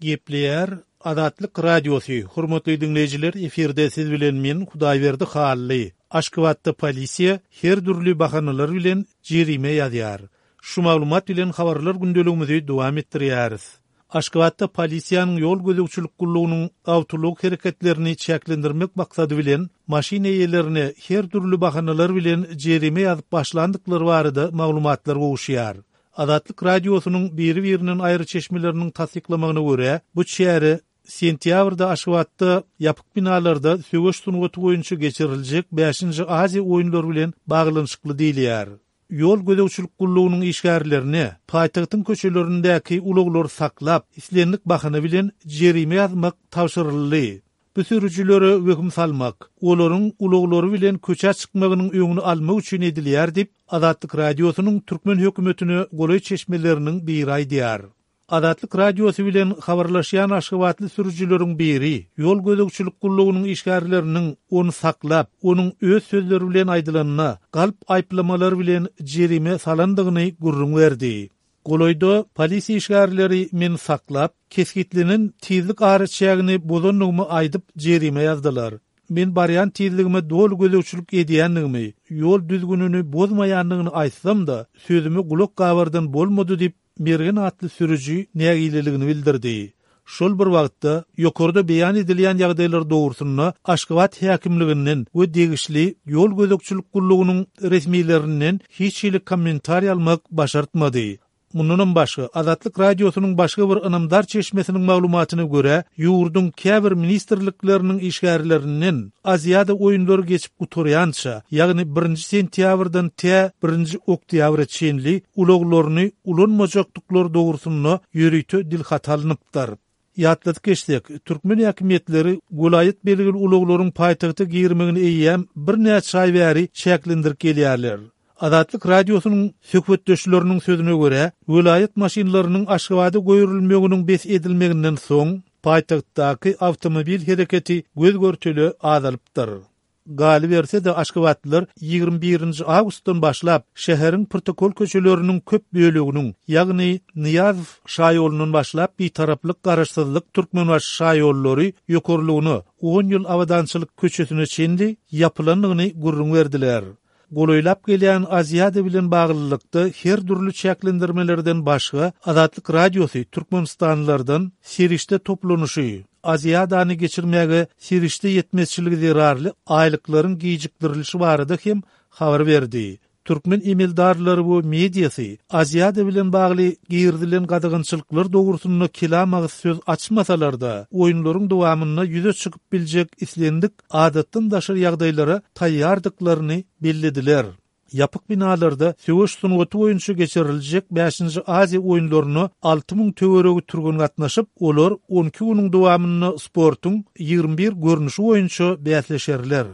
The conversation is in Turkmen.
Gepleýär Azatlyk Radiosy, Hormatly diňleýjiler, efirde siz bilen men, Hudaýberdi Hally. Aşgabatda polisiýa her dürli bahanalar bilen jerime ýazýar. Şu maglumat bilen habarlar gündeligimizi dowam etdirýäris. Aşgabatda polisiýanyň ýol gözegçilik gullugynyň awtoulag hereketlerini çäklendirmek maksady bilen maşyn eýelerine her dürli bahanalar bilen jerime ýazyp başlandyklary barada maglumatlar gowuşýar. Azatlyk Radiosynyň biri-birinden aýry çeşmeleriniň tassyklamagyna görä, bu çäre sentýabrda Aşgabatda ýapyk binalarda söweş sungaty boýunça geçiriljek bäşinji Aziýa oýunlary bilen baglanyşykly diýilýär. Ýol gözegçilik gullugynyň işgärlerine paýtagtyň köçelerindäki ulaglary saklap, islendik bahana bilen jerime ýazmak tabşyryldy. Bu sürüjilere wehim salmak, olaryň ulaglary bilen köçä çykmagynyň öňüni almak üçin edilýär diýip, Azatlyk Radiosynyň türkmen hökümetine golaý çeşmeleriniň biri aýdýar. Azatlyk Radiosy bilen habarlaşýan aşgabatly sürüjileriň biri ýol gözegçilik gullugynyň işgärleriniň ony saklap, onuň öz sözleri bilen aýdylanda, galp aýyplamalar bilen jerime salandygyny gürrüň berdi. Golaýda polisiýa işgärleri meni saklap, kesgitlenen tizlik araçägini bozandygymy aýdyp jerime ýazdylar. Men barýan tizligime doly gözegçilik edýändigimi, ýol düzgünini bozmaýandygyny aýtsam-da, sözüme gulak gabardan bolmady diýip, Mergen atly sürüji nägileligini bildirdi. Şol bir wagtda, ýokarda beýan edilýän ýagdaýlar dogrusynda Aşgabat häkimliginden we degişli ýol gözegçilik gullugynyň resmilerinden hiç hili kommentariý almak başartmady. Mundanam başga, Azatlyk Radiosynyň başga bir ynamdar çeşmesiniň maglumatyna görä, ýurduň käbir ministrlikleriniň işgärlerinden Aziada oýunlary geçip gutarýança, ýagny birinji sentýabrdan tä birinji oktýabra çenli ulaglaryny ulanmajakdyklary dogrusynda ýörite dilhaty alnypdyr. Ýatladyp geçsek, türkmen häkimiýetleri welaýat belgili ulaglaryň paýtagta girmegini eýýäm birnäçe aý bäri çäklendirip gelýärler. Azatlyk Radiosynyň söhbetdeşleriniň sözüne görä, welaýat maşynlarynyň Aşgabada goýberilmeginiň bes edilmeginden soň, paýtagtdaky awtomobil hereketi göz-görtele azalypdyr. Galyberse-de, aşgabatlylar 21 nji awgustdan başlap, şäheriň protokol köçeleriniň köp böleginiň, ýagny Nyýazow şaýolundan başlap Bitaraplyk, Garaşsyzlyk, Türkmenbaşy şaýollary ýokarlygyna, On ýyl abadançylyk köçesine çenli ýapylandygyny gürrüň berdiler. Golaýlap gelýän Aziada bilen baglylykda her dürli çäklendirmelerden başga, Azatlyk Radiosy türkmenistanlylardan serişde toplanyşy, Aziadany geçirmäge serişde ýetmezçiligi zerarly aýlyklaryň gijikdirilişi barada hem habar berdi. Türkmen emeldarlary we mediasy Aziada bilen bagly girizilen gadagançylyklar dogrusynda kelam agyz söz açmasalar-da, oýunlaryň dowamynda ýüze çykyp biljek islendik adatdan daşary ýagdaýlara taýýardyklaryny bellediler. Ýapyk binalarda söweş sungaty boýunça geçiriljek bäşinji Aziýa oýunlaryna 6000 töweregi türgen gatnaşyp, olar on iki günüň dowamynda sportuň 21 görnüşi boýunça bäsleşerler.